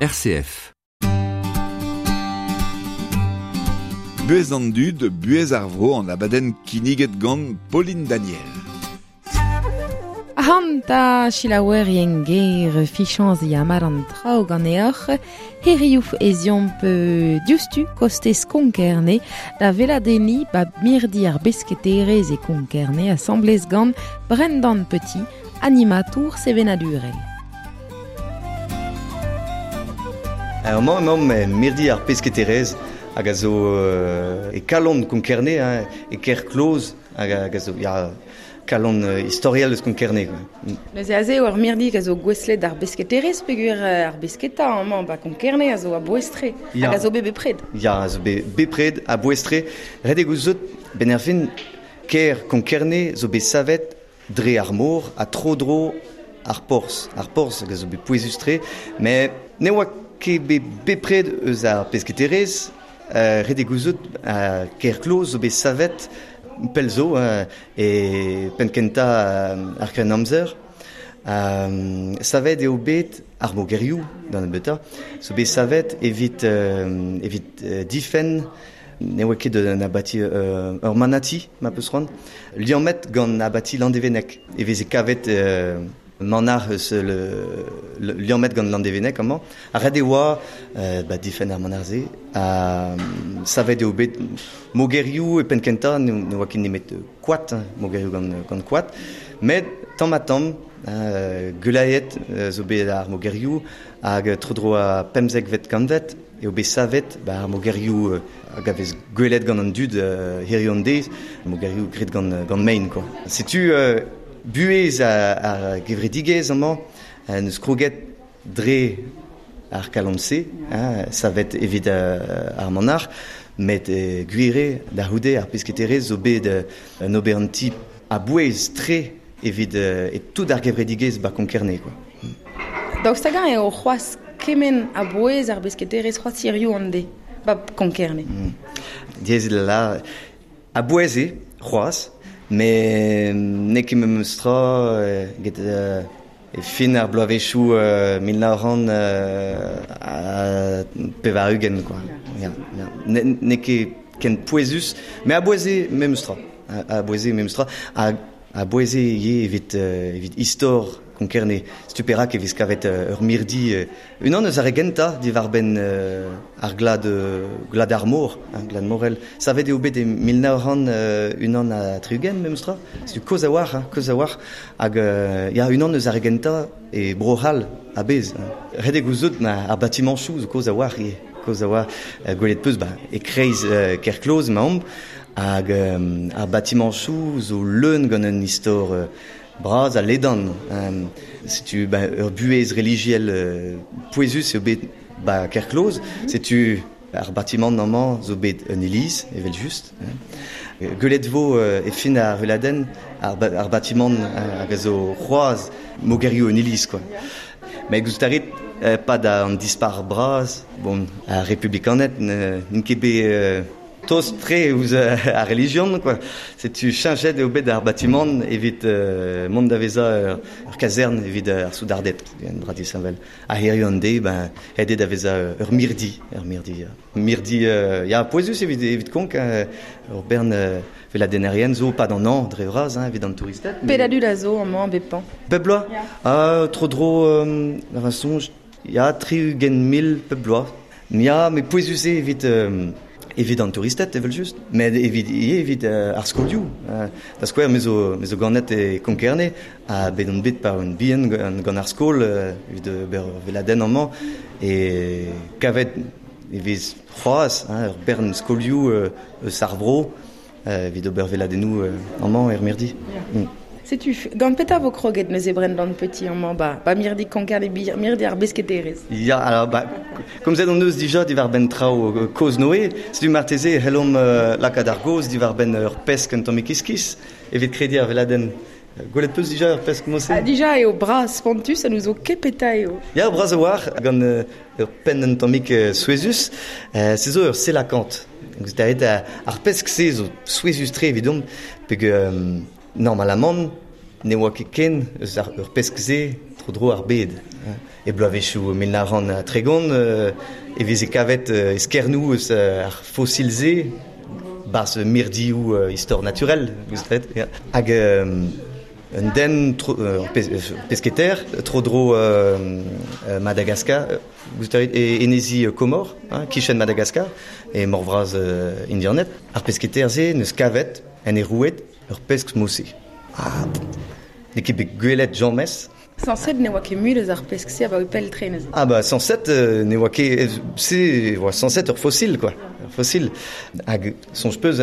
RCF. Buhez an dud, buhez ar vro an abadenn kinniget gant Pauline Daniel. Ahanta selaouerien ger fichañs ya mat an traoù ganeoc'h hiriv ez eomp diouzhtu kostez Konkerne da weladenniñ ba mirdi ar besketerezh e Konkerne asambles gant Brendan Petit, animatour sevenadurel. Amañ emaomp mirdi ar pesketerezh hag a zo e kalon Konkerne, hein, e kêr kloz hag a zo ya, kalon istoriel eus Konkerne. Quoi. Neuze aze eo ar mirdi a zo gouestlet d'ar besketerezh peogwir ar besketa amañ ba Konkerne a zo a-bouez-tre hag a zo bet bepred. Ya, a zo bet bepred a-bouez-tre. Ret eo gouzout, benn ar fin, kêr Konkerne zo bet savet dre ar mor ha tro-dro ar porzh. Ar porzh hag a zo bet pouezus-tre, met ne oa ket bet bepred eus ar pesketerezh. Ret eo gouzout kêr kloz zo bet savet pell zo e penn-kentañ ar Grennamzer. Savet eo bet ar mogerioù da nebeutañ, zo bet savet evit evit difenn Ne oa ket un abati ur manati, ma peus c'hoant, liammet gant abati Landevenneg. E veze kavet manac'h eus liammet gant Landevenneg amañ. Ha ret e oa ba difenn ar manac'h-se. Ha savet eo bet mogerioù e penn-kentañ, ne oa ket nemet koad, mogerioù gant koad. Met tamm-ha-tamm, gulaet zo bet ar mogerioù hag tro-dro ar pemzekvet kantved eo bet savet ba ar mogerioù hag a vez gwelet gant an dud hiziv an deiz, mogerioù graet gant gant mein quoi. Setu buhez ar gevredigezh amañ n'eus kroget dre ar kalon-se, hein, savet evit ar manac'h, met gwir eo da c'houde ar pesketerezh zo bet un ober an ti a-bouez-tre evit e tout ar gevredigezh ba Konkerne quoi. Daoust hag-eñ eo c'hoazh kement a-bouez ar besketerezh c'hoazh hiziv an deiz ba Konkerne? Diaes eo da lâret. A-bouez eo c'hoazh, met n'eo ket memes tra get e fin ar bloavezhioù 1980 quoi. Ya, ya. N'eo ket ken pouezus, met a-bouez eo memes tra. A-bouez eo memes tra. Hag A-bouez eo ivez evit evit istor Konkerne. Setu perak e vez kavet ur mirdi unan eus ar re gentañ diwar-benn ar glad glad ar mor, hein, glad morel. Savet eo bet e 1961 memes tra. Setu kozh a-walc'h, hein, kozh a-walc'h. Hag ya, unan eus ar re gentañ e Bro-C'hall a-bezh. Ret eo gouzout ma ar batimañchoù zo kozh a-walc'h ivez. Kozh a-walc'h. Gwelet 'peus ba e-kreiz Kerkloz emaomp. Hag ar batimañchoù zo leun gant un istor bras ha ledan. Setu ba ur buhez relijiel pouezus eo bet ba Kerkloz. Setu ar batimant amañ zo bet un iliz, evel-just. Gwelet 'vo e fin ar veladenn ar batimant hag a zo c'hoazh mogerioù un iliz quoi. Met gouzout a rit, 'pad an dispac'h bras, bon, ar republikaned n'int ket bet Tost-tre ouzh ar relijion quoi. Setu cheñchet eo bet ar batimant evit mont da vezañ ur kazern evit ar soudarded, un dra disheñvel. Ha hiziv an deiz, ben, aet eo da vezañ ur mirdi, ur mirdi. Mirdi ya, pouezus evit evit Konk, ur bern veladennerien zo 'pad an hañv dre vras hein, evit an touristed. Pet a dud a zo amañ bep hañv? Bep bloaz? Ah, tro-dro, da soñj, ya, 60 000 pep bloaz. Ya, met pouezus eo evit evit an touristed evel-just, met evit ivez evit ar skolioù. Da skouer, me zo me zo ganet e Konkerne ha bet on bet pa oan bihan gant ar skol evit ober ur weladenn amañ e kavet e vez c'hoazh hein, ur bern skolioù eus ar vro evit ober weladennoù amañ er mirdi. Setu, gant petra vo kroget neuze Brendan Petit amañ ba, ba mirdi Konkerne, mirdi ar besketerezh? Ya, alors, ba, komzet hon eus dija diwar-benn traoù kozh-Noe, setu marteze e c'hellomp lakaat ar gaoz diwar-benn ur pesk un tammig iskis evit krediñ ar weladenn. Gwelet 'peus dija ur pesk mod-se? Ha dija eo bras spontus ha n'ouzo ket petra eo. Ya, bras a-walc'h, gant ur penn un tammig souezhus. Se zo ur selakant. Ar pesk-se zo souezhus-tre evidomp, peogwir normalamant, Ne oa ket ken eus ar ur pesk-se tro-dro ar bed. E bloavezhioù 1930 e veze kavet eskernoù eus ar fosil-se barzh mirdioù istor naturel, gouzout ya. Hag un den ur pesketer tro-dro Madagascar, gouzout e enezi Komor, hein, kichen Madagascar, e mor vras Indianed. Ar pesketer-se neus kavet en e roued ur pesk mose. Ah, n'eo ket bet gwelet james. Sañset ne oa ket mui eus ar pesk-se abaoe pell tre neuze. Ah bah sañset ne oa ket se oa sañset ur fosil quoi, ur fosil. Hag soñj peus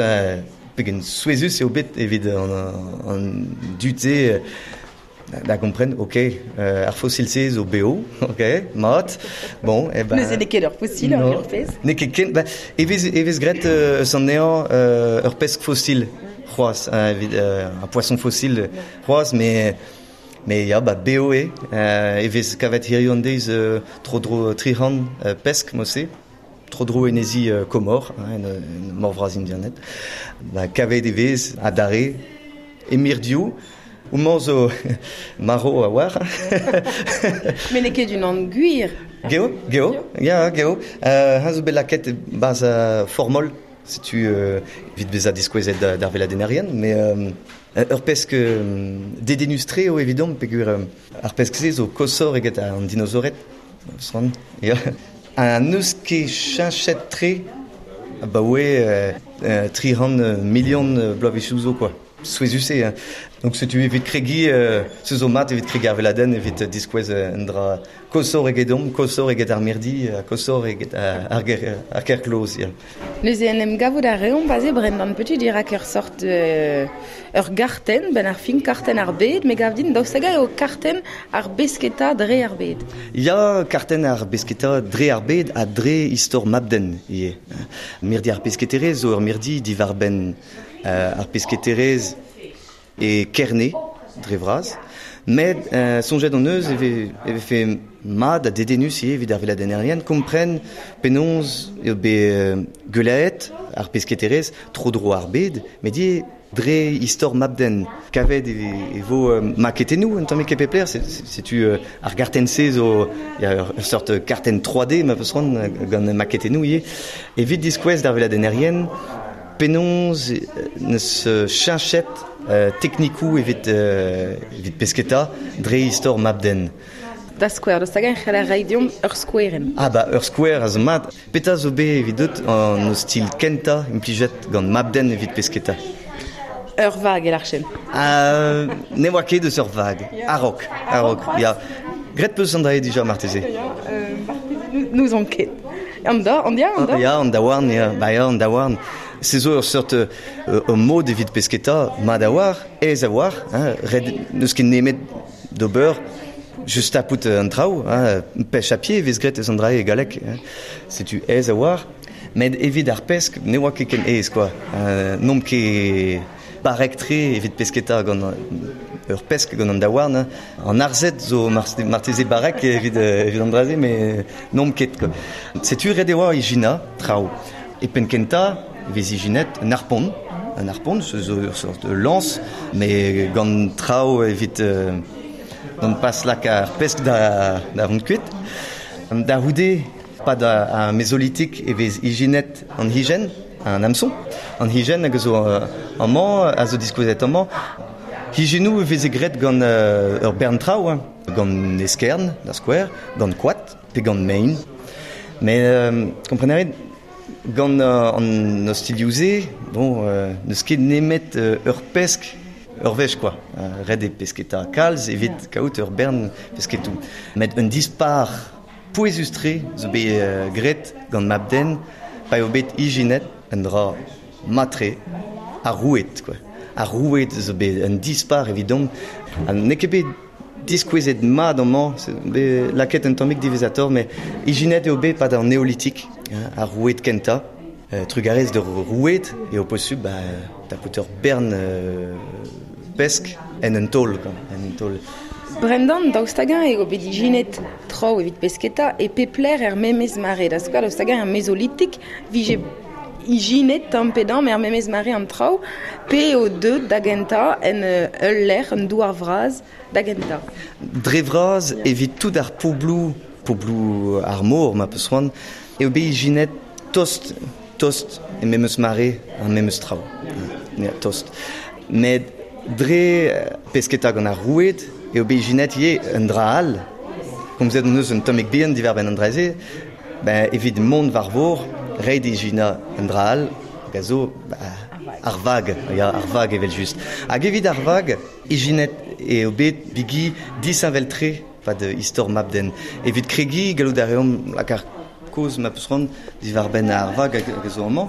pegen souezhus eo bet evit an dud-se da gompren, ok, ar fosil-se zo bev, ok, mat, bon, eh ben... Neuze n'eo ket ur fosil, ur pesk. N'eo ket ken, ba, e vez graet eus anezhañ ur pesk fosil c'hoazh, evit un poisson fossile c'hoazh, mais ya, ba bev eo, e vez kavet hiziv an deiz tro-dro 300 pesk mod-se, tro-dro enezi Komor, hein, en mor vras Indianed. Ba, kavet e vez adarre e mirdioù, Homañ zo marv a-walc'h. Met n'eo ket unan gwir. Geo, geo, ya, geo. Ha zo bet lakaet barzh formol, setu evit bezañ diskouezet d'ar veladennerien, mais ur pesk dedennus-tre eo evidomp peogwir ar pesk-se zo koshoc'h eget an dinosaored. Ya. Ha n'eus ket cheñchet-tre abaoe 300 milion bloavezhioù zo quoi. Souezhus eo. Donc setu evit kregiñ, se zo mat evit kregiñ ar veladenn, evit diskouez un dra koshoc'h egedomp, koshoc'h eget ar mirdi, koshoc'h eget ar ger-kloz. Ya. Neuze en em gavout a reomp aze Brendan Petit dirak ur sort ur gartenn, benn ar fin kartenn ar bed, me gav din daoust hag-eñ eo kartenn ar besketa dre ar bed. Ya, kartenn ar besketa dre ar bed ha dre istor mab-den ivez. Mirdi ar pesketerezh zo ur mirdi diwar-benn ar pesketerezh e Kerne, dre vras. Met soñjet hon eus e vefe mat ha dedennus ivez evit ar veladennerien kompren penaos eo bet gwellaet ar pesketerezh tro-dro ar bed, met ivez dre istor mab-den. Kavet e vo maketennoù un tammig e pep lec'h, setu ar gartenn-se zo ur seurt kartenn 3D ma peus c'hoant gant maketennoù ivez. Evit diskouez d'ar veladennerien penaos neus cheñchet teknikoù evit pesketa dre istor mab-den. Da skouer, daoust hag-eñ e c'heller reiñ deomp ur skouerenn? Ah bah ur skouer a zo mat. Petra zo bet evidout an ostilh kentañ implijet gant mab-den evit pesketa? Ur vag e larchen. Ne oa ket eus ur vag. A-raok, a-raok, ya. Graet peus an dra-se dija marteze? N'ouzon ket. An da, an dia, an da? Ya, an daouarn, ya. Ba ya, an daouarn. Se zo ur seurt ur mod evit pesketa mat a-walc'h, aes a-walc'h, hein, ret n'eus ket nemet d'ober just tapout an traoù, hein, pêche à pied e vez graet eus an dra e galleg, hein. Setu aes a-walc'h. Met evit ar pesk ne oa ket ken aes, quoi. N'omp ket barrek-tre evit pesketa gant ur pesk gant an daouarn. An arzhed zo marteze barrek evit an dra-se, met n'omp ket, quoi. Setu ret e oa ijinañ traoù. E penn-kentañ e vez ijinet un harpon. Un harpon, se zo ur seurt lañs, met gant traoù evit gant pas lakaat ar pesk da vont kuit. Da c'houde, pad ar mezolitik e vez ijinet an higenn, an hameçon. An higenn hag a zo amañ, a zo diskouezet amañ. Higennoù e veze graet gant ur bern traoù, hein. Gant eskern, da skouer, gant koad pe gant mein. Met kompren a rit, gant an ostilhoù-se, bon, n'eus ket nemet ur pesk ur wech, quoi. Ret eo pesketa kalz evit kaout ur bern pesketoù. Met un dispar pouezus-tre zo bet graet gant mab-den pa eo bet ijinet un dra mat-tre, ar roued, quoi. Ar roued zo bet un dispar evidomp. Ha n'eo ket bet diskouezet mat amañ, bet lakaet un tammig diwezhatoc'h, met ijinet eo bet pad an neolitik, ar roued kentañ. Trugarez d'ur roued eo posubl ba, tapout ur bern pesk en un taol, quoi, en un taol. Brendan, daoust hag-eñ eo bet ijinet traoù evit pesketa e pep lec'h er memes mare? Da skouer, daoust hag-eñ er mezolitik vije ijinet tamm pe damm er memes mare an traoù, pe eo deuet da gentañ en ul lec'h, un douar vras da gentañ. Dre vras evit tout ar pobloù, pobloù ar mor ma peus c'hoant, eo bet ijinet tost, tost e memes mare ar memes traoù. Ya, tost. Met dre pesketa gant ar roued eo bet ijinet ivez un dra all. Komzet hon eus un tammig bihan diwar-benn an dra-se, ben, evit mont war vor, ret ijinañ un dra all, hag a zo ar vag, ya, ar vag evel-just. Hag evit ar vag, ijinet eo bet bigi disheñvel-tre pad istor mab-den. Evit kregiñ, gallout a reomp lakaat kaoz ma peus c'hoant diwar-benn ar vag hag a zo amañ.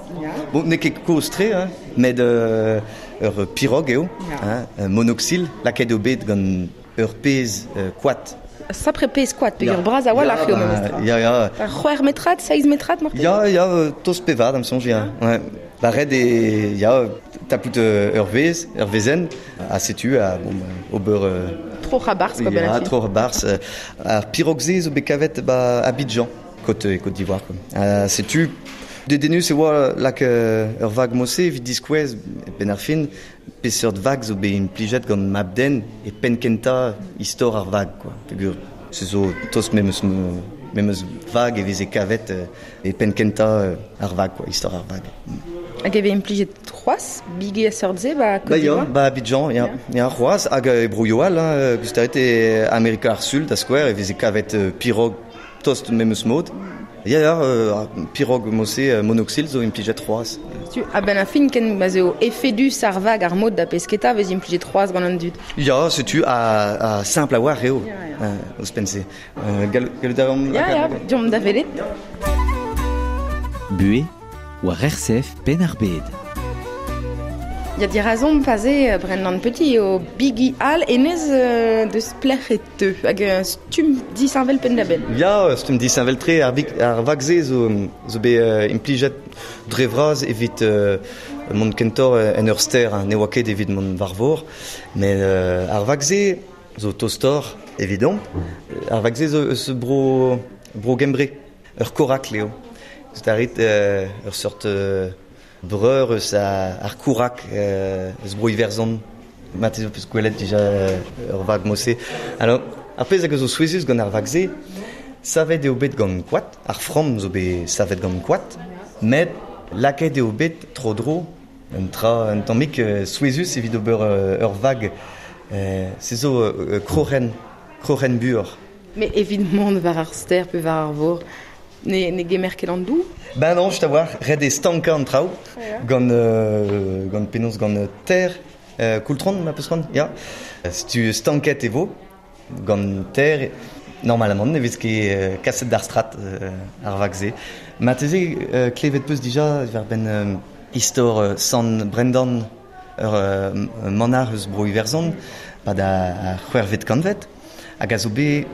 Bon, n'eo ket kozh-tre, hein, met ur pirog eo, hein, monoxyl, lakaet eo bet gant ur pezh koad. Sapre pezh koad, peger bras a-walc'h eo memestra. Ya, ya. C'hwec'h metrad, seizh metrad marteze? Ya, ya, tost pevar da'm soñj, ya. Ouais. Ba ret eo, ya, tapout ur vezh, ur vezenn, ha setu, ha bon, ober... Troc'h a-barzh, quoi, Ya, troc'h a-barzh. Ar pirog-se zo bet kavet ba Abidjan, Côte, Côte d'Ivoire, quoi. Setu, dedennus e oa lak ur vag mod-se evit diskouez, benn ar fin, peseurt vag zo bet implijet gant mab-den e penn-kentañ istor ar vag, quoi. Peogwir se zo tost memes, memes vag e veze kavet e penn-kentañ ar vag, quoi, istor ar vag. Hag e vez implijet c'hoazh bigi a seurt-se ba Côte Ba ya, d'Ivoire? ba Abidjan, ya, ya c'hoazh, hag e broioù all, hein, goustaet e Amerika ar Sul, da skouer, e veze kavet pirog tost memes mod. Ya, ya, pirog mod-se, monoxyl zo implijet c'hoazh. Tu, a-benn ar fin, ken ma'z eo efedus ar vag ar mod da pesketa vez implijet c'hoazh gant an dud. Ya, setu, ha simpl a-walc'h eo, ouzhpenn-se. Gallout a ran... Ya, ya, deomp da welet. Buhez war RCF Penn-ar-Bed. Ya dirazomp aze Brendan Petit eo bigi all hennezh deus plec'h e teu hag stumm disheñvel penn-da-benn. Ya, stumm disheñvel-tre ar, ar vag-se zo, zo bet implijet dre vras evit mont kentoc'h en ur stêr, ne oa ket evit mont war vor. Met ar vag-se zo tostoc'h evidomp. Ar vag-se zo eus bro, bro Gembre. Ur korakl eo. Gouzout a rit ur seurt breur eus ar kourak eus bro Iwerzhon. Marteze ho peus gwelet dija ur vag mod-se. Alors, ar pezh hag a zo souezhus gant ar vag-se, savet eo bet gant koad, ar framm zo bet savet gant koad, met lakaet eo bet tro-dro un tra un tammig souezhus evit ober ur vag. Se zo kroc'hen, kroc'hen buoc'h. Mais evit mont war ar stêr pe war ar vor, ne, ne gemer ket an dour? Ben non, just a-walc'h, ret eo stankañ an traoù gant, gant penaos gant ter, koultron ma peus c'hoant, ya. Setu stanket e vo gant ter, normalement ne vez ket kaset d'ar strat ar vag-se. Marteze klevet peus dija diwar-benn istor Sant Brendan, ur manac'h eus Bro-Iwerzhon, pad ar c'hwec'hvet kantved, hag a zo bet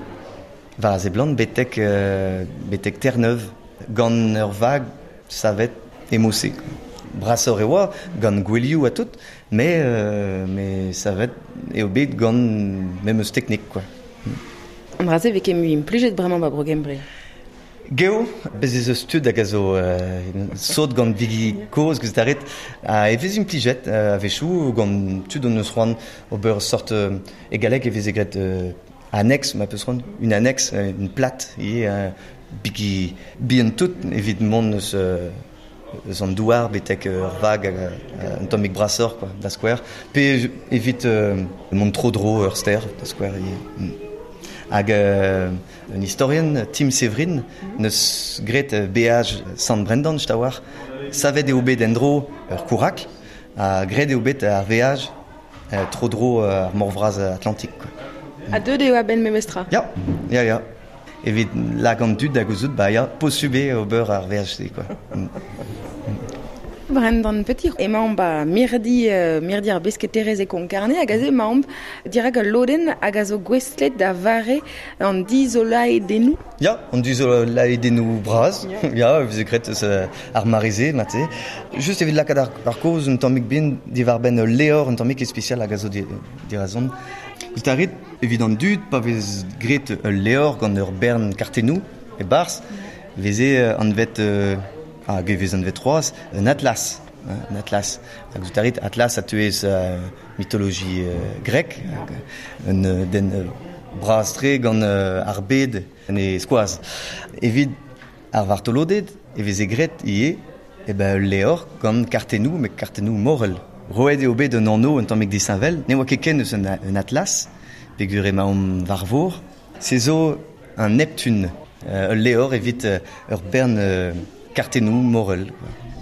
war a seblant betek, betek Terre-Neuve gant ur vag savet e mod-se. Brasoc'h e oa, gant gouelioù ha tout, met, met savet eo bet gant memes teknik, quoi. An dra-se vez ket mui implijet bremañ ba Bro-Gembre. Geo, bez ez eus tud hag a zo sot gant bigi kozh, gouzout a rit, ha e vez implijet a-wechoù gant tud hon eus c'hoant ober sort e galleg e veze graet annexe, ma peus c'hoant, une annexe, une plate ivez, bigi bihan tout evit mont eus eus an douar betek ur vag un tammig brasoc'h quoi, da skouer, pe evit mont tro-dro ur stêr, da skouer ivez. Hag un istorien, Tim Severin, neus graet beaj Sant Brendan, just a-walc'h. Savet eo bet en-dro ur kourakl, ha graet eo bet ar veaj tro-dro ar mor vras Atlantik. Quoi. Ha deuet eo a-benn memestra? Ya, ya, ya. Evit lak an dud da gouzout, ba ya, posubl eo ober ar veaj-se, quoi. Brendan Petit, emaomp ba mirdi, mirdi ar besketerezh e Konkarne hag aze emaomp dirak ul lodenn hag a zo gouestlet da vare an dizolaedennoù. Ya, an dizolaedennoù bras, ya, e veze graet eus ar mare-se, marteze. Just evit lakaat ar kaoz un tammig bihan diwar-benn ul levr un tammig ispisial hag a zo dirazon. Gouzout a rit, evit an dud, pa vez graet ul levr gant ur bern kartennoù e-barzh, e veze anvet... Hag e vez anvet c'hoazh un atlas. Un atlas. Hag zo tarit atlas a teuez mitologie grek, hag un den bras-tre gant ar bed en e skoaz. Evit ar vartoloded e veze graet ivez e ben ul levr gant kartennoù, met kartennoù morel. Roet eo bet un anv un tammig disheñvel, ne oa ket ken eus un atlas, peogwir emaomp war vor. Se zo un Neptune, ul levr evit ur bern kartennoù morel.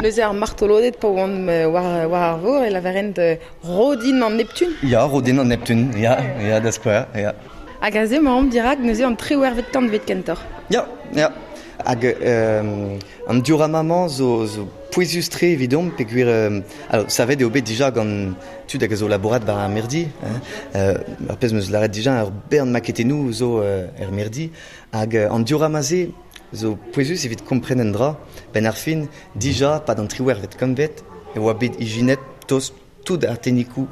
Neuze ar martoloded pa oant war ar vor e lavarent Rodin an Neptune? Ya, Rodin an Neptune, ya, ya, da skouer, ya. Hag aze emaomp dirak neuze an triwec'hvet kantved kentoc'h. Ya, ya. Hag an diorama-mañ zo pouezus-tre evidomp peogwir alors savet eo bet dija gant tud hag a zo labourat war ar mirdi. Hein. Ar pezh 'm eus lâret dija ur bern maketennoù zo er mirdi. Hag an diorama-se zo pouezus evit kompren un dra. Benn ar fin, dija, pad an triwec'hvet kantved, e oa bet ijinet tost tout ar teknikoù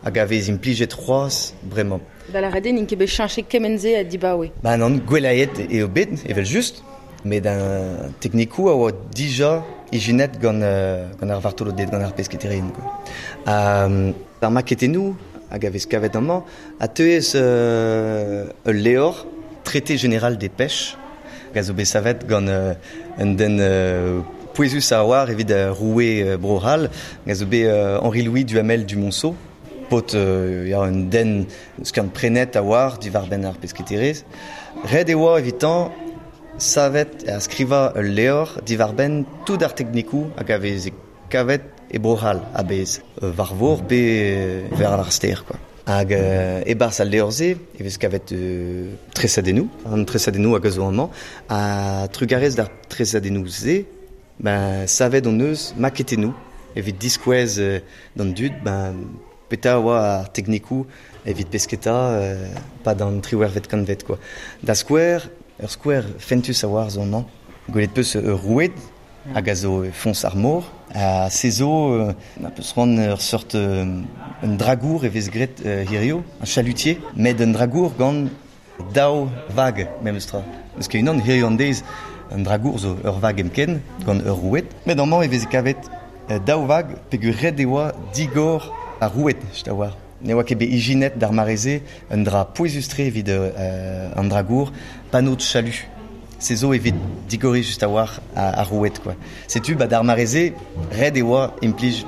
hag a vez implijet c'hoazh bremañ. Da lâret eo n'int ket bet cheñchet kement-se ha dibaoe. Ba nann, gwellaet eo bet, evel-just, met an teknikoù a oa dija ijinet gant ar vartoloded, gant ar pesketerien. Ar maketennoù hag a vez kavet amañ a teuez ul levr Traité général des pêches hag a zo bet savet gant un den pouezus a oar evit roue Bro-C'hall, hag a zo bet Henri-Louis Duhamel du Monceau, paotr ya, un den skiant prenet a oar diwar-benn ar pesketerezh. Ret e oa evitañ savet ha skrivañ ul levr diwar-benn tout ar teknikoù hag a veze kavet e Bro-C'hall a-bezh, war vor pe war ar stêr, quoi. Hag e-barzh al levr-se e vez kavet tresadennoù, an tresadennoù hag a zo amañ, ha trugarez d'ar tresadennoù-se, ben, savet hon eus maketennoù evit diskouez d'an dud, ben, petra oa ar teknikoù evit pesketa pad an triwec'hvet kantved, quoi. Da skouer, ur skouer fentus a oar zo amañ. Gwelet peus ur roued hag a zo foñs ar mor. Ha se zo, ma peus c'hoant ur seurt un dragour e vez graet hirio, un chalutier, met un dragour gant daou vag memes tra. N'eus ket unan hirio an deiz, un dragour zo ur vag hepken gant ur roued. Met amañ e vez kavet daou vag peogwir ret e oa digor ar roued, je oar. Ne oa ket bet ijinet d'ar mare-se un dra pouezus-tre evit an dragour, panneau de chalut. Se zo evit digoriñ just a-walc'h ar roued, quoi. Setu ba d'ar mare-se, ret e oa implij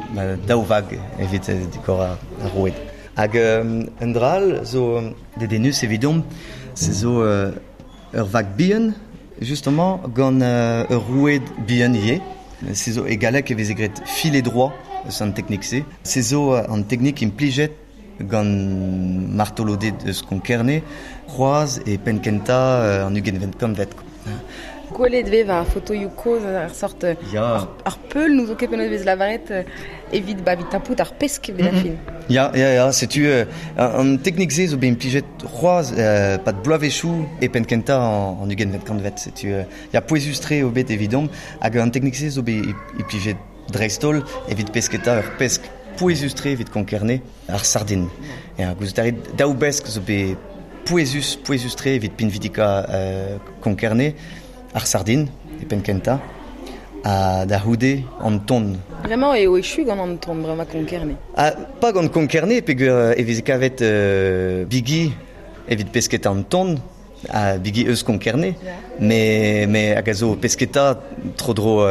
daou vag evit digor ar roued. Hag un dra all zo dedennus evidomp, se zo ur vag bihan, justement, gant ur roued bihan ivez. Se zo e galleg e veze graet filet droit eus an teknik-se. Se zo an teknik implijet gant martoloded eus Konkerne, c'hoazh e penn-kentañ an ugentvet kantved. Gwelet vez war fotoioù kozh ar sort ar peul n'ouzo ket penaos vez lavaret evit ba evit tapout ar pesk evit ar fin. Ya, ya, ya, setu an teknik-se zo bet implijet c'hoazh pad bloavezhioù e penn-kentañ an ugentvet kantved. Setu ya pouezus-tre eo bet evidomp hag an teknik-se zo bet implijet dreist-holl evit pesketa ur pesk pouezus-tre evit Konkerne, ar sardin. Ya, gouzout a rit daou besk zo bet pouezus-tre evit pinvidika Konkerne, ar sardin e penn-kentañ, ha da c'houde an ton. Bremañ eo echu gant an ton bremañ Konkerne. Ha pas gant Konkerne, peogwir e veze kavet bigi evit pesketa an ton, ha bigi eus Konkerne, mais hag a zo pesketa tro-dro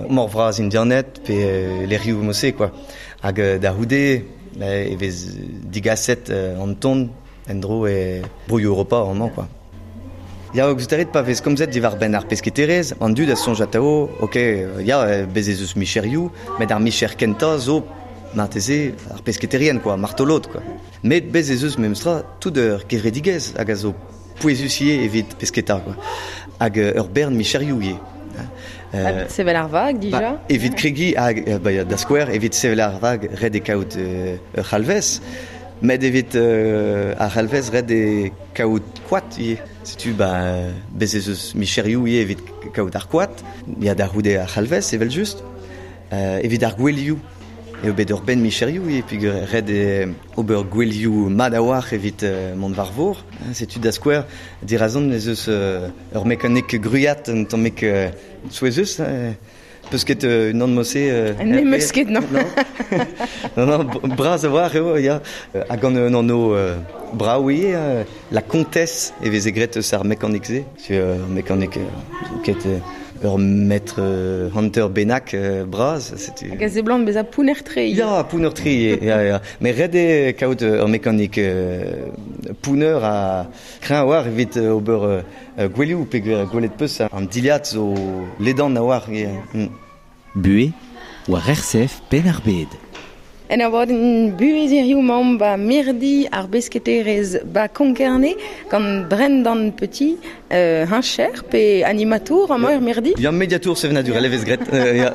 mor vras Indianed pe lec'hioù mose, quoi. Hag da c'houde e vez digaset an ton en-dro e broioù Europa amañ, quoi. Ya, gouzout a rit pa vez komzet diwar-benn ar pesketerezh, an dud a soñj atav, ok, ya, bez ez eus micherioù, met ar micher kentañ zo marteze ar pesketerien, quoi, martolod, quoi. Met bez ez eus memestra tout ur gevredigezh hag a zo pouezus ivez evit pesketa, quoi. Hag ur bern micherioù ivez. Evit sevel ar vag, dija? Ba, evit kregiñ, hag, ba, da skouer, evit sevel ar vag, ret eo kaout ur c'halvez. Met evit ar c'halvez, ret eo kaout koad ivez. Setu, ba, bez ez eus micherioù ivez evit kaout ar koad. Ya, da c'houde ar c'halvez, evel-just. Evit ar gouelioù, eo bet ur benn micherioù ivez, peogwir ret eo ober gouelioù mat a-walc'h evit mont war vor. Setu da skouer, dirazon ez eus ur mekanik gwriat un tammig souezhus. Peus ket unan mose... Ne meus ket, non. Non, non, braz a war eo, ya. Hag gant un anv brav ivez, la Comtesse e veze graet eus ar mekanik-se. C'est ur mekanik ket ur maître hunter bennak braz. Setu... Hag a seblant bezañ pounner-tre. Ya, pounner-tre, ya, ya. Met ret eo kaout ur mekanik pounner ha kreñv a-walc'h evit ober gwelioù peogwir gwelet peus an dilhad zo ledan a-walc'h. Buhez war RCF Penn-ar-Bed. En abadenn buhez hiziv 'maomp ba mirdi ar besketerezh ba Konk-Kerne gant Brendan Petit, heñcher pe animatour amañ er mirdi. Ya, mediatour sevenadurel e vez graet. Ya.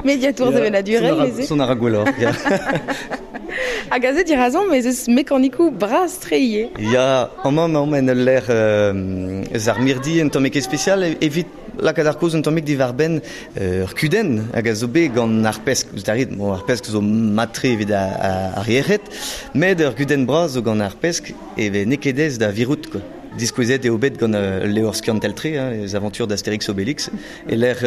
Mediatour sevenadurel neuze. Son a ra gwelloc'h, ya. Hag aze dirazomp ez eus mekanikoù bras-tre ivez. Ya, amañ emaomp en ul lec'h eus ar mirdi un tammig ispisial evit lakaat ar kaoz un tammig diwar-benn ur kudenn hag a zo bet gant ar pesk. Ouzh da rit, bon, ar pesk zo mat-tre evit ar yec'hed, met ur gudenn bras zo gant ar pesk e vez n'eo ket aes da virout, quoi. Diskouezet eo bet gant ul levr skiantel-tre, hein, les aventures d'Astérix Obélix, e-lec'h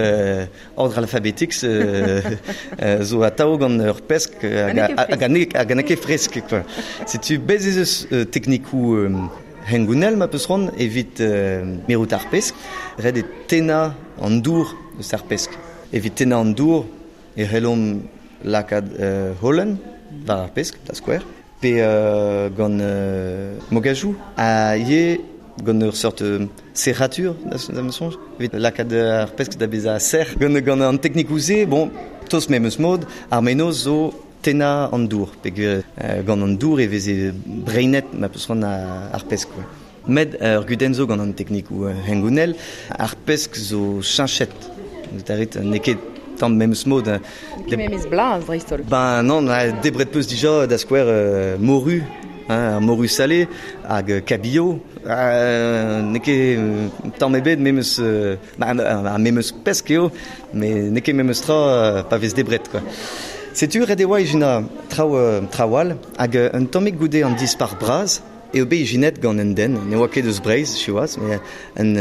ordre alphabétique zo atav gant ur pesk hag a n'eo ket fresk, quoi. Setu bez ez eus teknikoù hengounel ma peus c'hoant evit mirout ar pesk. Ret eo tennañ an dour eus ar pesk. Evit tennañ an dour e c'hellomp lakaat holen war ar pesk, da skouer, pe gant mogajoù, ha ivez gant ur seurt serratur, da ma soñj, evit lakaat ar pesk da bezañ sec'h. Gant an teknikoù-se, bon, tost memes mod, ar mennozh zo tennañ an dour, peogwir gant an dour e veze breinet ma peus c'hoant ar pesk. Quoi. Met ur gudenn zo gant an teknikoù hengounel, ar pesk zo cheñchet. Da rit, n'eo ket tamm memes mod. N'eo ket memes blaz dreist-holl. Ben non, debret peus dija da skouer moru, hein, ar moru salé hag cabillaud. N'eo ket tamm ebet memes, ar memes pesk eo, met n'eo ket memes tra pa vez debret, quoi. Setu ret e oa ijinañ traoù all, hag un tammig goude an dispac'h bras eo bet ijinet gant un den, ne oa ket eus Breizh, siwazh, met un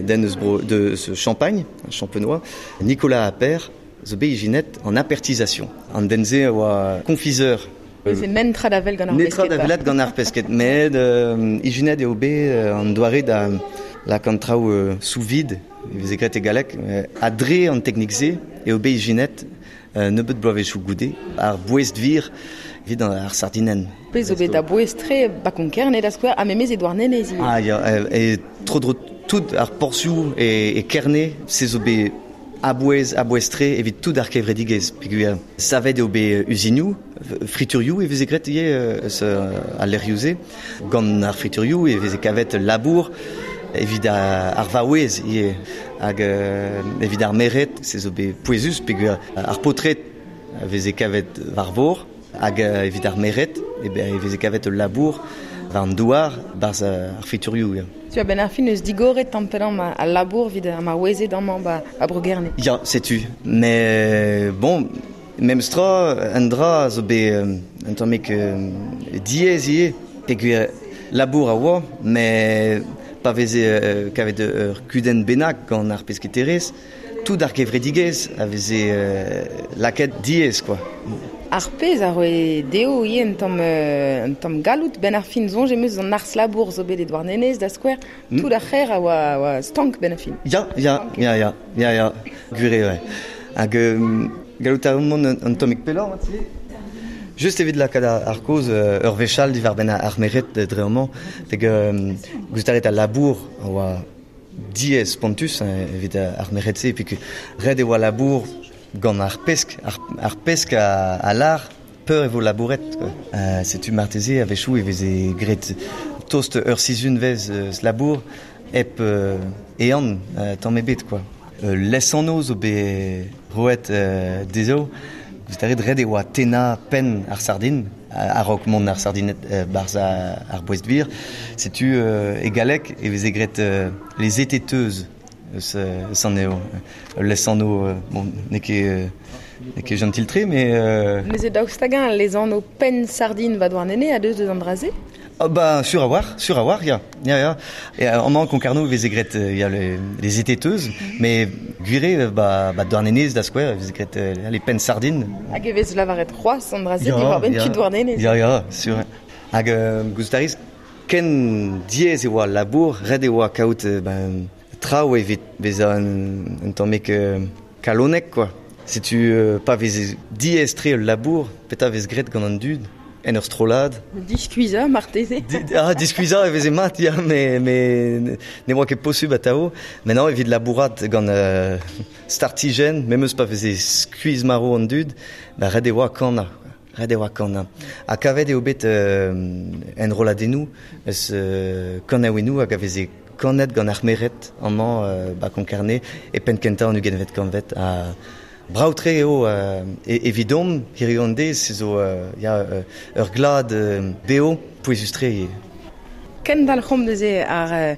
den eus bro deus Champagne, champenois, Nicolas Appert, zo bet ijinet an apertisation. An den-se a oa confiseur. Neuze netra da wel gant ar pesked. Netra da welet gant ar pesked, met ijinet eo bet an doare da lakaat an traoù sous vide, e veze graet e galleg, ha dre an teknik-se eo bet ijinet nebeut bloavezhioù goude, ar boest-vir evit ar sardinenn. Pezh zo bet a bouez-tre ba Konk-Kerne da skouer, ha memes e Douarnenez ivez. Ah ya, e tro-dro tout ar porzhioù e Kerne, se zo bet a-bouez, a-bouez-tre evit tout ar kevredigezh. Peogwir savet eo bet uzinioù, friturioù e veze graet ivez eus al lec'hioù-se. Gant ar friturioù e veze kavet labour evit ar vaouez ivez. Hag evit ar merc'hed, se zo bet pouezus peogwir ar paotred a veze kavet war vor, hag evit ar merc'hed e veze kavet ul labour war an douar barzh ar friturioù. Ya. Tu a-benn ar fin eus digoret tamm pellañ al labour evit ar maouezed amañ ba Bro-Gerne. Ya, setu. Mais bon, memes tra, un dra zo bet un tammig diaes ivez, peogwir labour a oa, met pa veze kavet ur kudenn bennak gant ar pesketerezh, tout ar gevredigezh a veze lakaet diaes, quoi. Ar pezh a roe dezho ivez un tamm galloud benn ar fin soñj em eus an arz-labour zo bet e Douarnenez da skouer, tout ar c'hêr a oa stank benn ar fin. Ya, ya, ya, ya, ya, ya, gwir eo. Hag gallout a mont un tammig pelloc'h marteze? Just evit lakaat ar kaoz ur wech all diwar-benn ar merc'hed dre amañ, hag gouzout a rit al labour a oa diaes spontus evit ar merc'hed-se, peogwir ret e oa labour gant ar pesk, ar pesk a lâr peur e vo labouret. Setu marteze a-wechoù e veze graet tost ur sizhunvezh eus labour hep ehan tamm ebet, quoi. Lesanv zo bet roet dezho. Gouzout a rit, ret e oa tennañ penn ar sardin a-raok mont ar sardined barzh ar boest-vir. Setu e galleg e veze graet les ététeuses eus anezho. Ul lesanv, bon, n'eo ket jentil-tre, mais... Neuze daoust hag-eñ lesanv penn sardin ba Douarnenez a deus deus an dra-se? Ah ba, sur a war, sur a war, ya. Ya, ya. Et amañ Concarneau veze graet ya les ététeuses, mais gwire ba, ba Douarnenez da skouer, veze graet les pennes sardines. Hag e vez lavaret c'hoazh an dra-se diwar-benn tud Douarnenez. Ya, ya, sur. Hag gouzout a rez, ken diaes e oa al labour, ret e oa kaout ben, traoù evit bezañ un tammig kalonek, quoi. Setu pa veze diaes-tre ul labour, petra vez graet gant an dud en ur strollad. Diskuizhañ marteze. Ah, diskuizhañ e veze mat, ya, mais ne oa ket posubl atav. Met non, evit labourat gant startijenn, memes pa veze skuizh-marv an dud, ba ret e oa kanañ. Ret e oa kanañ. Ha kavet eo bet enrolladennoù eus kanaouennoù hag a veze kanet gant ar merc'hed amañ ba Konkarne e penn-kentañ an ugentvet kantved. Ha brav-tre eo evidomp hiziv an deiz, se zo ya ur glad bev pouezus-tre ivez. Kendalc'homp neuze ar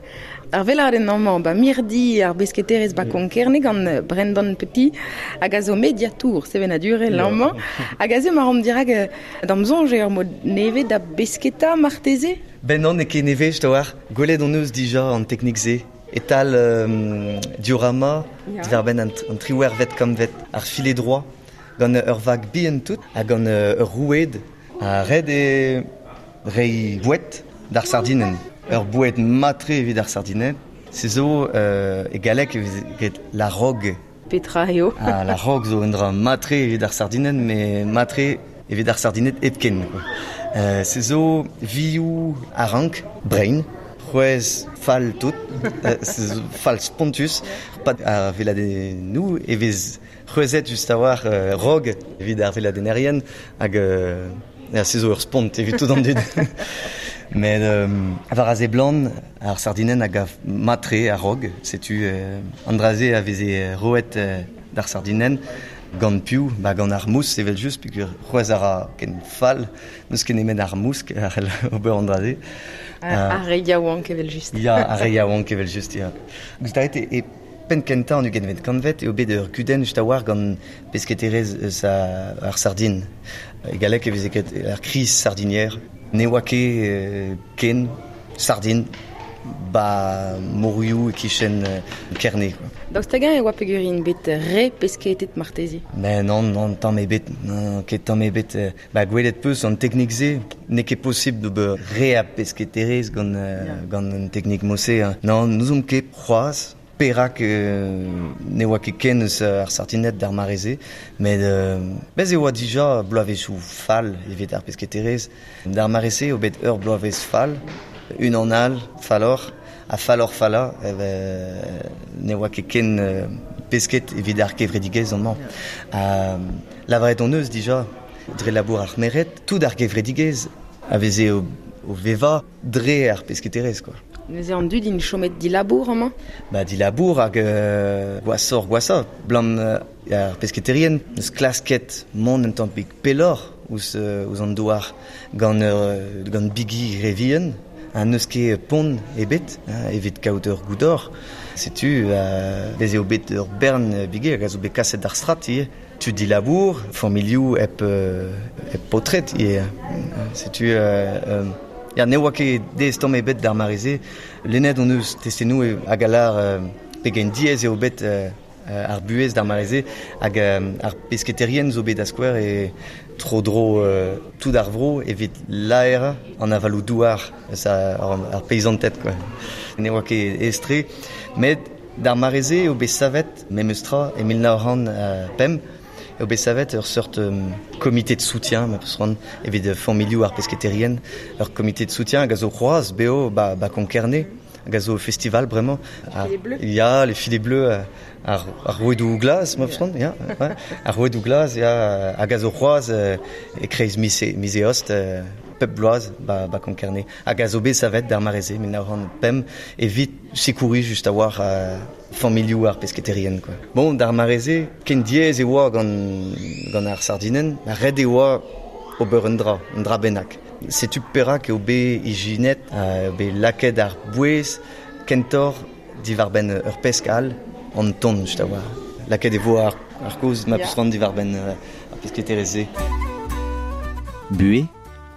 ar veladenn amañ ba mirdi ar besketerezh ba Konkerne gant Brendan Petit hag a zo mediatour sevenadurel amañ hag aze ma ran dirak d'am soñj eo ur mod nevez da besketa marteze? Ben non, n'eo ket nevez, te oar. Gwelet hon eus dija an teknik-se e-tal diorama diwar-benn an triwec'hvet kantved, ar filet droit, gant ur vag bihan tout ha gant ur roued. Ha ret eo reiñ boued d'ar sardinenn. Ur boued mat-tre evit ar sardined. Se zo e galleg e vez graet la rogue. Petra eo? Ah, la rogue zo un dra mat-tre evit ar sardinenn, met mat-tre evit ar sardined hepken. Se zo vioù a-rank, brein, c'hwezh fall tout, se zo fall spontus. Pad ar veladennoù e vez c'hwezhet just a-walc'h rog evit ar veladennerien hag se zo ur spont evit tout an dud. Met war a seblant, ar sardinenn a gav mat-tre ar rog, setu an dra-se a veze roet d'ar sardinenn gant piv, ba gant ar mous evel-just, peogwir c'hwezh a ra ken fall, n'eus ket nemet ar mousk a c'hell ober an dra-se. Ar re yaouank evel-just. Ya, ar re yaouank evel-just, ya. Gouzout a rit e penn kentañ an ugentvet kantved eo bet ur gudenn just a-walc'h gant pesketerezh eus ar sardin. E galleg e veze graet ar crise sardinière. Ne oa ket ken sardin ba morioù e-kichen Kerne. Daoust hag-eñ e oa peogwir int bet re pesketet marteze? Mais non, non, tamm ebet, non, ket tamm ebet. Ba gwelet peus an teknik-se, n'eo ket posibl d'ober re a pesketerezh gant gant un teknik mod-se. Non, n'ouzomp ket c'hoazh perak ne oa ket ken eus ar sardined d'ar mare-se, met bez e oa dija bloavezhioù fall evit ar pesketerezh. D'ar mare-se eo bet ur bloavezh fall, unan all falloc'h ha falloc'h-fallañ ne oa ket ken pesked evit ar gevredigezh amañ. Ha lavaret hon eus dija dre labour ar merc'hed, tout ar gevredigezh a veze o vevañ dre ar pesketerezh quoi. Neuze an dud int chomet dilabour amañ? Ba dilabour hag gwashoc'h gwashañ, 'blam ar pesketerien n'eus klasket mont un tammig pelloc'h ouzh ouzh an douar gant gant bigi re vihan ha n'eus ket pont ebet evit kaout ur goudor. Setu bez eo bet ur bern bigi hag a zo bet kaset d'ar strat ivez. Tud dilabour, familhoù hep hep paotred ivez. Setu ya, ne oa ket diaes tamm ebet d'ar mare-se. Lennet hon eus testennoù hag a lâr pegen diaes eo bet ar buhez d'ar mare-se hag ar pesketerien zo bet da skouer e tro-dro tout ar vro evit laerañ an avaloù-douar eus ar peizanted quoi. Ne oa ket aes-tre, met d'ar mare-se eo bet savet memes tra e 1905 eo bet savet ur seurt komite de soutien ma peus c'hoant evit familhoù ar pesketerien, ur komite de soutien hag a zo c'hoazh bev ba, ba Konkerne hag a zo festival bremañ. Ya, les filets bleus ar, ar rouedoù glas, ma peus c'hoant, ya, ouais. Ar rouedoù glas, ya, hag a zo c'hoazh e-kreiz miz, miz eost pep bloaz ba, ba Konkerne hag a zo bet savet d'ar mare-se 1905 evit sekouriñ just a-walc'h familhoù ar pesketerien quoi. Bon, d'ar mare-se, ken diaes e oa gant, gant ar sardinenn, ret e oa ober un dra, un dra bennak. Setu perak eo bet ijinet, eo bet lakaet ar bouez kentoc'h diwar-benn ur pesk all, an ton, just a-walc'h. Lakaet e vo ar, ar kaoz ma peus c'hoant diwar-benn ar pesketerezh-se. Buhez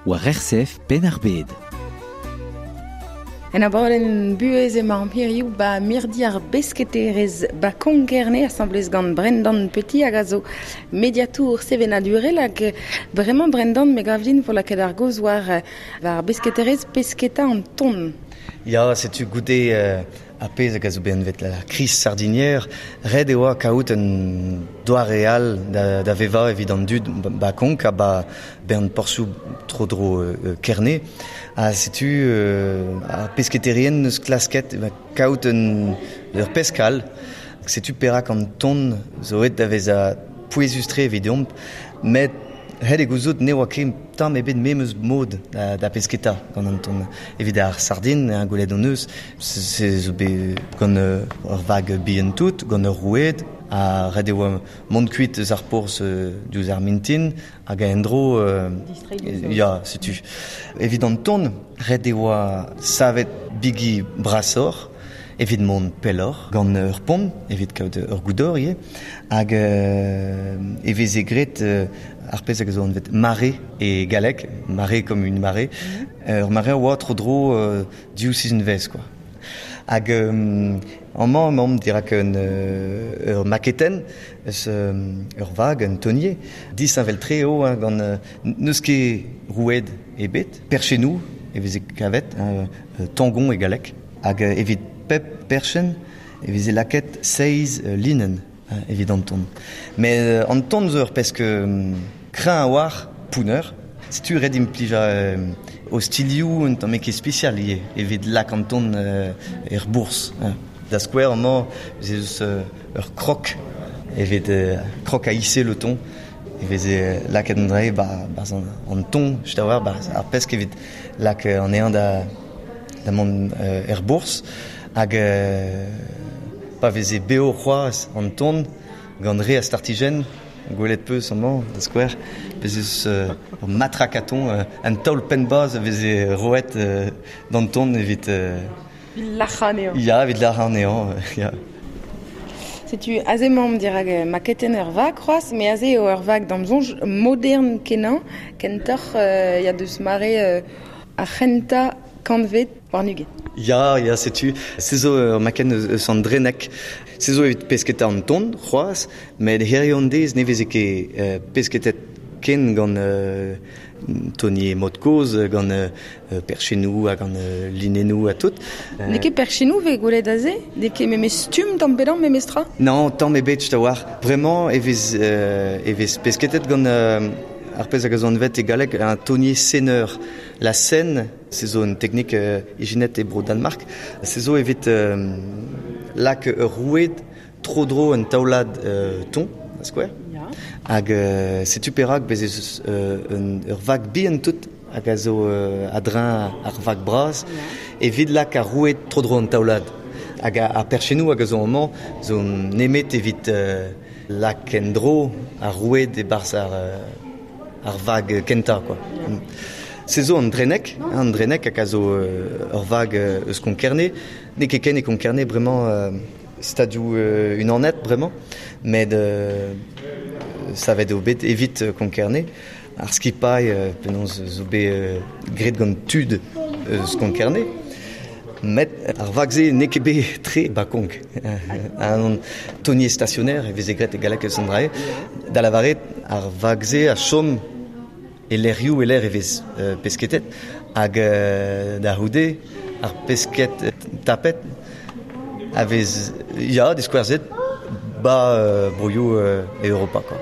war RCF Penn-ar-Bed. En abadenn buhez emañ an hiriv ba mirdi ar besketerez ba Konkerne asamblez gant Brendan Petit hag a zo mediatour sevenadurel hag bremañ Brendan me gav din vo lakaet ar gaoz war war besketerez pesketa an ton. Ya, setu goude ar pezh hag a zo bet anvet la crise sardinière, ret e oa kaout un doare all da vevañ evit an dud ba Konk ha ba bern porzhioù tro-dro Kerne. Ha setu ar pesketerien neus klasket kaout un ur pesk all. Setu perak an ton zo aet da vezañ pouezus-tre evidomp, met ret eo gouzout ne oa ket tamm ebet memes mod da pesketa gant an ton. Evit ar sardin, gwelet hon eus, se zo bet gant ur vag bihan tout, gant ur roued, ha ret e oa mont kuit eus ar porzh diouzh ar mintin, hag en-dro... ya, setu. Evit an ton, ret e oa savet bigi brasoc'h, evit mont pelloc'h, gant ur pont, evit kaout ur goudor ivez, hag e veze graet ar pezh hag a zo anvet marée e galleg, marée comme une marée, ur mare a oa tro-dro div sizhunvezh quoi. Hag amañ emaomp dirak un ur maketenn eus ur vag, un tonnier, disheñvel-tre eo hein, gant n'eus ket roued ebet, perchennoù e veze kavet, tangon e galleg, hag evit pep perchenn e veze lakaet seizh linenn evit an ton. Met an ton zo ur pesk kreñv a-walc'h, pounner. Setu ret implijañ ostilhoù un tamm ket spesial ivez evit lak an ton er bourzh. Da skouer amañ ez eus ur krok evit krok a hisser le thon. E veze lakaet an dra-se 'barzh an ton, just a-walc'h, 'barzh ar pesk evit lak anezhañ da mont er bourzh. Hag pa veze bev c'hoazh an ton gant re a startijenn, gwelet 'peus amañ, da skouer, bez' eus ur matrakaton, un taol penn-bazh a veze roet d'an ton evit... Evit lac'hañ anezhañ. Ya, evit lac'hañ anezhañ, ya. Setu aze emaomp dirak maketenn ur vag c'hoazh, met aze eo ur vag d'am soñj modern kenañ, kentoc'h ya deus mare ar c'hentañ kantved warn-ugent. Ya, ya, setu. Se zo ur makenn eus an Drenneg. Se zo evit pesketa an ton c'hoazh, met hiziv an deiz ne veze ket pesketet ken gant tonier mod kozh, gant perchennoù ha gant linennoù ha tout. N'eo ket perchennoù 'vez gwelet aze? N'eo ket memes stumm tamm pe damm memes tra? Non, tamm ebet a-walc'h. Bremañ e vez e vez pesketet gant ar pezh hag a zo anvet e galleg un tonnier seineur. La senne, se zo un teknik ijinet e bro Danmark. Se zo evit lak ur roued tro-dro un taolad ton, da skouer. Hag setu perak bez' ez eus ur vag bihan tout hag a zo a-dreñv ar vag bras evit lak ar roued tro-dro an taolad. Hag ar perchennoù hag a zo amañ zo nemet evit lak en-dro ar roued e-barzh ar vag kentañ quoi. Se zo an Drenneg, an Drenneg hag a zo ur vag eus Konkerne. N'eo ket ken e Konkerne bremañ stadioù unanet bremañ, met savet eo bet evit Konkerne. Ar skipailh penaos zo bet graet gant tud eus Konkerne. Met ar vag-se n'eo ket bet tre ba Konk. An tonnier stationnaire e veze graet e galleg eus an dra-se. Da lavaret, ar vag-se a chom e lec'hioù e lec'h e vez pesketet hag da c'houde ar pesked tapet a vez ya diskouezet ba broioù Europa quoi.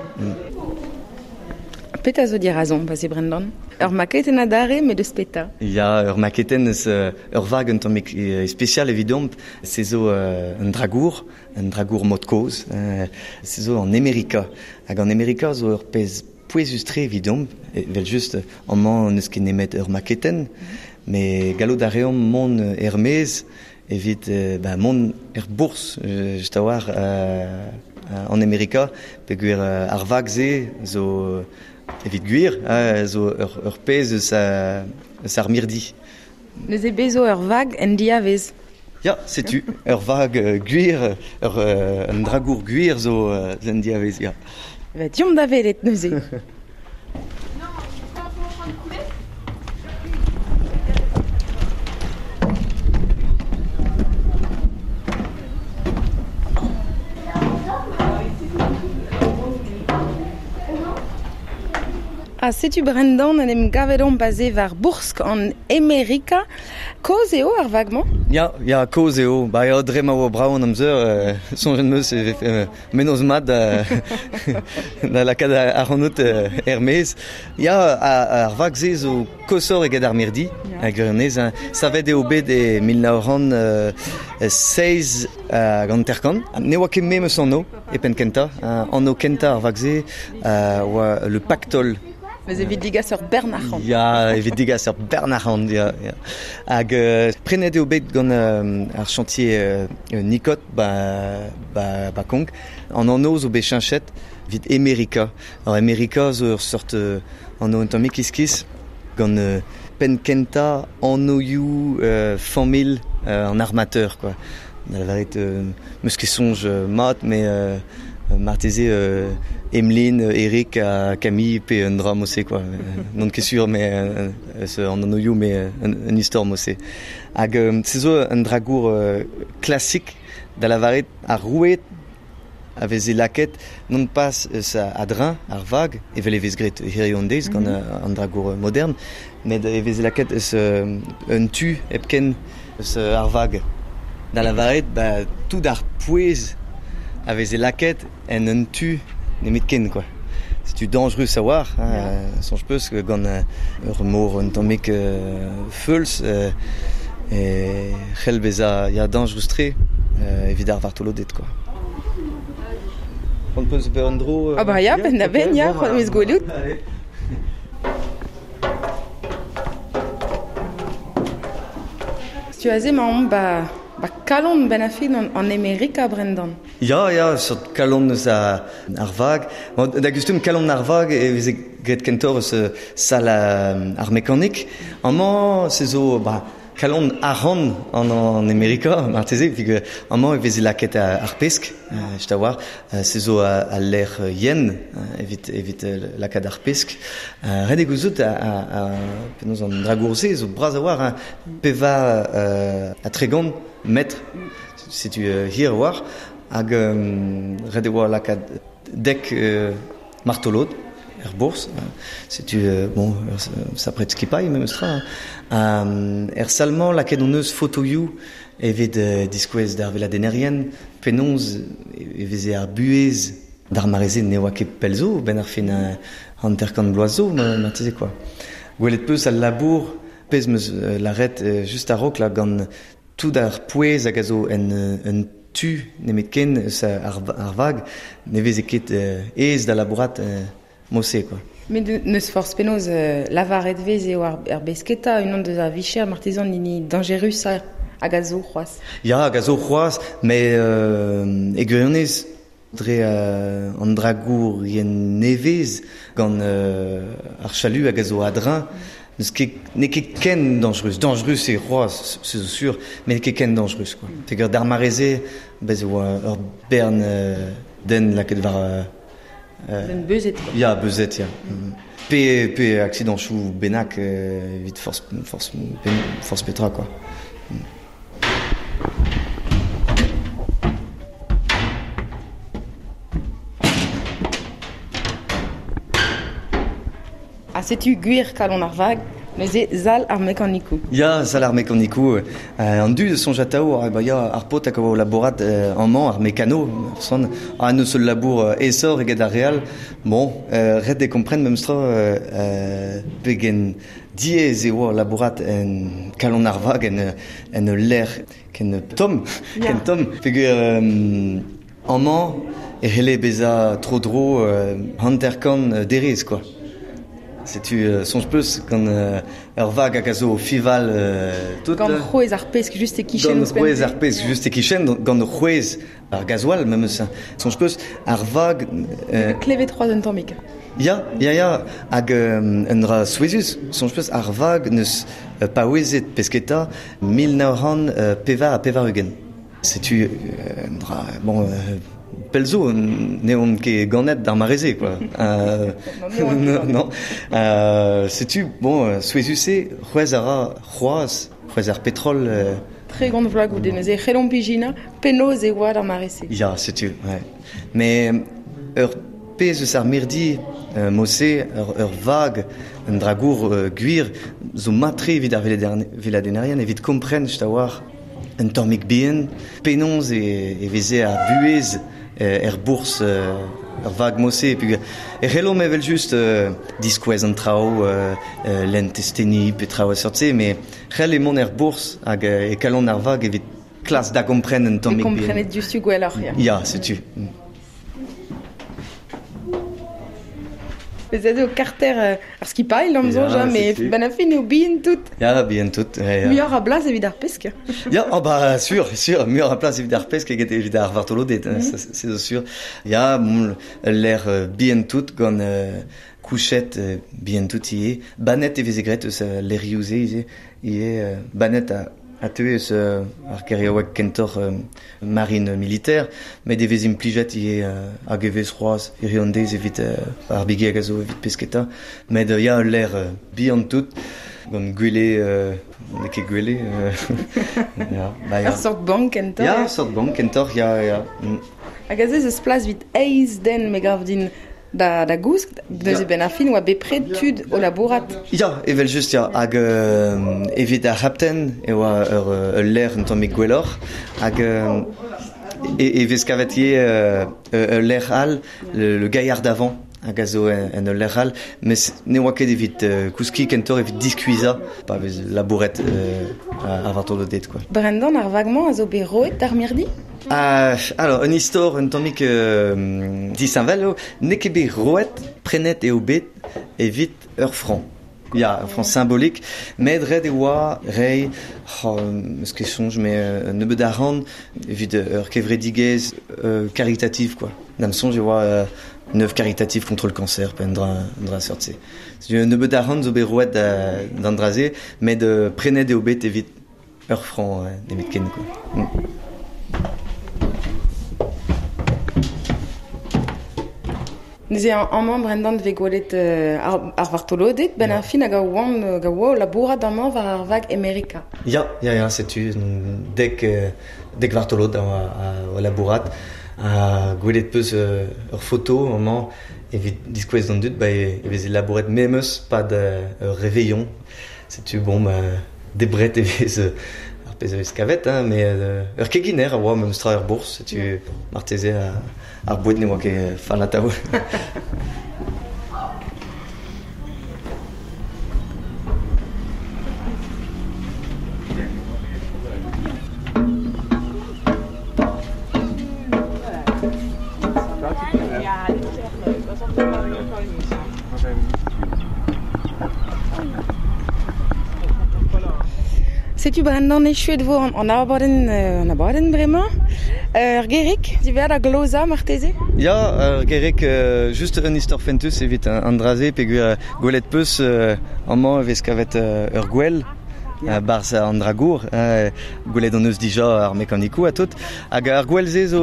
Petra zo dirazomp aze Brendan? Ur maketenn adarre met eus petra? Ya, ur maketenn eus ur vag un tammig spesial evidomp. Se zo un dragour, un dragour mod kozh. Se zo an Amerika. Hag an Amerika zo ur pezh pouezus-tre evidomp, evel-just amañ n'eus ket nemet ur maketenn, met gallout a reomp mont er-maez evit mont er bourzh, just a-walc'h an Amerika, peogwir ar vag-se zo evit gwir, zo ur pezh eus ar mirdi. Neuze bez zo ur vag en diavez? Ya, setu, ur vag gwir, un dragour gwir zo en diavez, ya. Va deomp da welet neuze. Ha setu Brendan en em gavet on baze war Boursk an Amerika. Koz eo ar vagman? Ya, koz eo. Ba eo dre ma oa brav an amzer, soñjet 'm eus e mennozh mat da lakaat ar c'hanout er-maez. Ya, ar vag-se zo koshoc'h eget ar mirdi, a gwirionez. Savet eo bet e 1957. Ne oa ket memes anv e penn kentañ. Anv kentañ ar vag-se oa le Pactole. Mais evit digas ur bern arc'hant. Ya, evit digas ur bern arc'hant, ya. Hag prenet eo bet gant ar chantier Nicot ba Kong. An anv zo bet cheñchet evit Amerika. Alors Amerika zo ur sort anv un tamm iskis gant penn kentañ anvioù familh an armateur, quoi. Da lavaret meus ket soñj mat, mais marteze Emeline, Eric ha Camille pe un dra mod-se, quoi. N'on ket sur, mais an anvioù, mais un istor mod-se. Hag se zo un dragour klasik da lavaret ar roued a veze lakaet non pas eus a-dreñv ar vag, evel e vez graet hiziv an deiz gant an dragour modern, met e veze lakaet eus un tu hepken eus ar vag. Da lavaret, ba, tout ar pouez a veze lakaet en un tu nemetken, quoi. Setu dangerus a-walc'h, hein, soñj peus gant ur mor un tammig feuls e c'hell bezañ ya dangerus-tre evit ar vartoloded, quoi. On peus ober un dro... Ah bah ya, penn da benn, ya, c'hoant 'm eus gwelout. Setu aze 'maomp ba kalon benn ar fin an Amerika, Brendan. Ya, seurt kalon eus ar vag. Da gustum kalon ar vag e veze graet kentoc'h eus sal ar mekanik. Amañ se zo ba kalon arc'hant an Amerika, marteze, peogwir amañ e veze lakaet ar pesk, just a-walc'h. Se zo al lec'h yen evit lakaat ar pesk. Ret eo gouzout penaos an dragour-se zo bras a-walc'h, 34 metr, setu hir a-walc'h. Hag ret e oa lakaat dek martolod er bourzh. Setu, bon, sapret skipailh memes tra. Er sal-mañ lakaet hon eus fotoioù evit diskouez d'ar veladennerien penaos e veze ar buhez d'ar mare-se ne oa ket pell zo, benn ar fin 50 bloaz zo, marteze, quoi. Gwelet peus al labour, pezh 'm eus lâret just a-raok là, gant tout ar pouez hag a zo en un tu nemetken eus ar vag, ne veze ket aes da labourat mod-se, quoi. Met n'eus forzh penaos lavaret vez eo ar besketa unan deus ar vicher marteze an hini dañjerusañ hag a zo c'hoazh. Ya, hag a zo c'hoazh, met e gwirionez dre an dragourien nevez gant ar chalu hag a zo a-dreñv, n'eo ket ken dangerus. Dangerus eo c'hoazh, se zo sur, met n'eo ket ken dangerus, quoi. Peogwir d'ar mare-se, bez e oa ur bern den lakaet war... Den beuzet, quoi. Ya, beuzet, ya. Pe aksidanchoù bennak evit forzh petra, quoi. Ha setu gwir kalon ar vag, neuze sal ar mekanikoù. Ya, sal ar mekanikoù. An dud soñj atav, ba ya, ar paotr hag a oa o labourat amañ, ar mekano, son, ha n'eus ul labour aesoc'h eget ar re all. Bon, ret eo kompren memes tra pegen diaes e oa labourat en kalon ar vag en ul lec'h ken tomm, ken tomm. Peogwir amañ e c'helle bezañ tro-dro 50 derez, quoi. Setu soñj peus gant ur vag hag a zo fival tout. Gant c'hwezh ar pesk just e-kichen. Gant c'hwezh ar pesk just e-kichen, gant c'hwezh ar gasoil memes. Soñj peus ar vag... Klevet c'hoazh un tammig. Ya. Hag un dra souezhus, soñj peus ar vag n'eus paouezet pesketa 1984. Setu un dra... Bon, pell zo, n'eo ket ganet d'ar mare-se, quoi. Non. Setu, bon, souezhus-se, c'hwezh a ra c'hoazh, c'hwezh ar petrol. 30 vloaz goude neuze, c'hellomp ijinañ penaos e oa d'ar mare-se. Ya, setu, ouais. Mais ur pezh eus ar mirdi mose ur vag un dragour gwir zo matre evit ar veladennerien evit kompren just a-walc'h un tammig bihan penaos e veze ar buhez er bourzh ur vag mose e c'hellomp evel just diskouez an traoù lenn testeni pe traoù a seurt-se met c'hell emaon er bourzh hag e kalon ar vag evit klas da gompren un tammig bihan. E komprenet diouzhtu gwelloc'h, ya. Ya, setu. Bezet eo karter ar skipailh, am soñj, met ben a fin eo bihan tout. Ya, bihan tout. Ya. Muioc'h a blas evit ar pesk. Ya, oh bah, sûr, sûr, muioc'h a plas evit ar pesk eget evit ar vartoloded, c'est sûr. Ya, bon, l'air bihan tout gant kouchet bihan tout ivez. Banet e veze graet eus lerioù-se ivez, ivez banet a teue eus ar geriaoueg kentoc'h marine militaire, met e vez implijet ivez hag e vez c'hoazh hiziv an deiz evit ar bigi hag a zo evit pesketa. Met ya, ul lec'h bihan tout, gant gwele, n'eo ket gwele. Ya, bah, ya. Ur sort bank kentoc'h. Ya, ur sort bank kentoc'h, ya, ya. Hag aze ez eus plas evit eizh den, me gav din. Da gousk, neuze ben ar fin oa bepred tud o labourat. Ya, evel just, ya. Hag evit ar c'hapten e oa ur lec'h un tammig gwelloc'h. Hag e vez kavet ivez ul lec'h all, le gaillard d'avant, hag a zo en ul lec'h all, mes ne oa ket evit kouskiñ kentoc'h evit diskuizhañ, pa vez labouret ar vartoloded, quoi. Brendan, ar vag-mañ a zo bet roet d'ar mirdi? Alors, un istor un tammig disheñvel eo, n'eo ket bet roet, prenet eo bet evit ur franc. Ya, ur franc symbolique, met ret e oa reiñ, eus ket soñj, met un nebeud arc'hant evit ur kevredigezh caritative, quoi. Da'm soñj e oa une œuvre caritative contre le cancer, pe un dra seurt-se. Un nebeud arc'hant zo bet roet d'an dra-se, met prenet eo bet evit ur franc nemetken, quoi. Neuze amañ Brendan vez gwelet ar vartoloded ben ar fin hag a oant hag a oa o labourat amañ war ar vag Amerika. Ya, ya, ya, setu dek vartolod a oa labourat ha gwelet peus ur foto amañ evit diskouez d'an dud ba e veze labouret memes pad ur réveillon. Setu bon ba debret e vez ar pezh a vez kavet, hein, met ur keginer a oa memes tra er bourzh, setu marteze ar boued ne oa ket fall atav. Setu Brendan echuet vo an abadenn bremañ. Ur gerig diwezhañ da glozañ marteze? Ya, ur gerig just un istor fentus evit an dra-se peogwir gwelet peus amañ e vez kavet ur gwel barzh an dragour. Gwelet hon eus dija ar mekanikoù ha tout. Hag ar gwel-se zo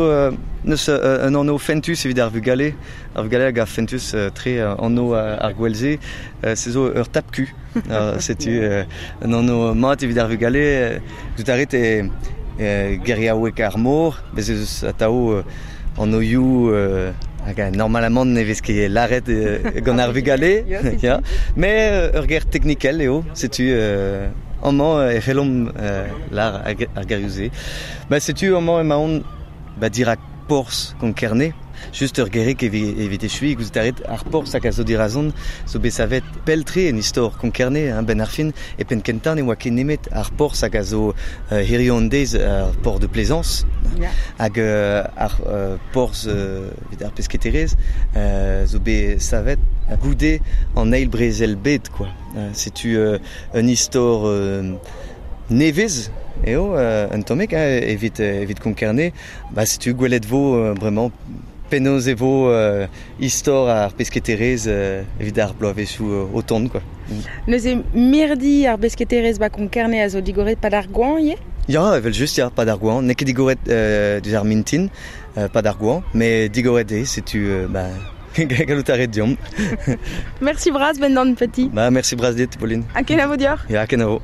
neus un anv fentus evit ar vugale. Ar vugale hag ar fentus tre anv ar gwel-se. Se zo ur tap-ku. Setu un anv mat evit ar vugale. Tout a ret e geriaoueg ar mor, bez ez eus atav anvioù hag normalamant ne vez ket lâret gant ar vugale. Ya. Mais ur ger teknikel eo, setu amañ e c'hellomp lâr ar gerioù-se. Ba setu amañ emaon ba dirak porzh Konk-Kerne. Just ur gerig evit echuiñ, gouzout a rit ar porzh hag a zo dirazon zo bet savet pell-tre en istor Konk-Kerne, hein, benn ar fin. E penn kentañ ne oa ket nemet ar porzh hag a zo hiziv an deiz ar port de Plaisance. Hag ar porzh evit ar pesketerezh zo bet savet goude an eil brezel bed, quoi. Setu un istor nevez eo un tammig hein, evit Konk-Kerne. Ba setu gwelet vo bremañ penaos e vo istor ar pesketerezh evit ar bloavezhioù o tont, quoi. Neuze mirdi ar besketerezh ba Konk-Kerne a zo digoret pad ar goañv ivez? Ya, evel just, ya, pad ar goañv. N'eo ket digoret diouzh ar mintin, pad ar goañv, met digoret eo, setu ba gallout a ret deomp. Merci bras, Brendan Petit. Ba, merci bras dit, Pauline. Ha kenavo deoc'h. Ya, kenavo.